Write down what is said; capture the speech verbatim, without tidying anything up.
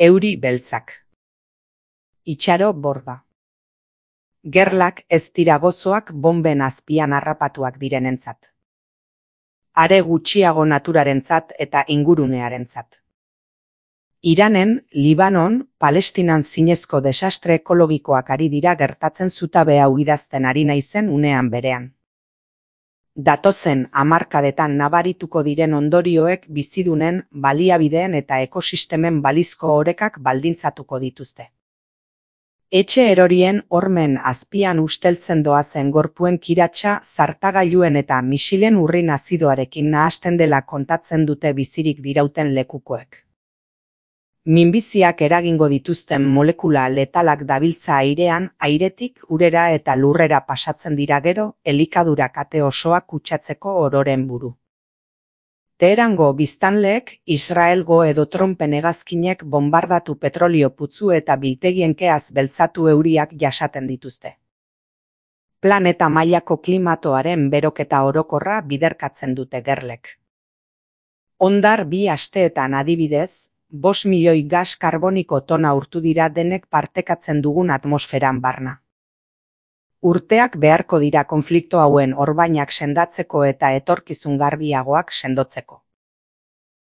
Euri beltzak. Itxaro borda. Gerlak ez dira gozoak bonben azpian harrapatuak direnentzat. Are gutxiago naturarentzat eta ingurunearentzat. Iranen, Libanon, Palestinan zinezko desastre ekologikoak ari dira gertatzen zutabe hau idazten ari naizen unean berean. Datozen hamarkadetan nabarituko diren ondorioek bizidunen, baliabideen eta ekosistemen balizko orekak baldintzatuko dituzte. Etxe erorien hormen azpian usteltzen doazen gorpuen kiratsa zartagailuen eta misilen urrin azidoarekin nahasten dela kontatzen dute bizirik dirauten lekukoek. Minbiziak eragingo dituzten molekula letalak dabiltza airean, airetik urera eta lurrera pasatzen dira gero, elikadura kate osoak kutsatzeko ororen buru. Teherango biztanleek, Israelgo edo Trumpen hegazkinek bombardatu petrolio putzu eta biltegien keaz beltzatu euriak jasaten dituzte. Planeta mailako klimatoaren beroketa orokorra biderkatzen dute gerlek. Ondar bi asteetan adibidez, bost milioi gas karboniko tona urtu dira denek partekatzen dugun atmosferan barna. Urteak beharko dira konflikto hauen orbainak sendatzeko eta etorkizun garbiagoak sendotzeko.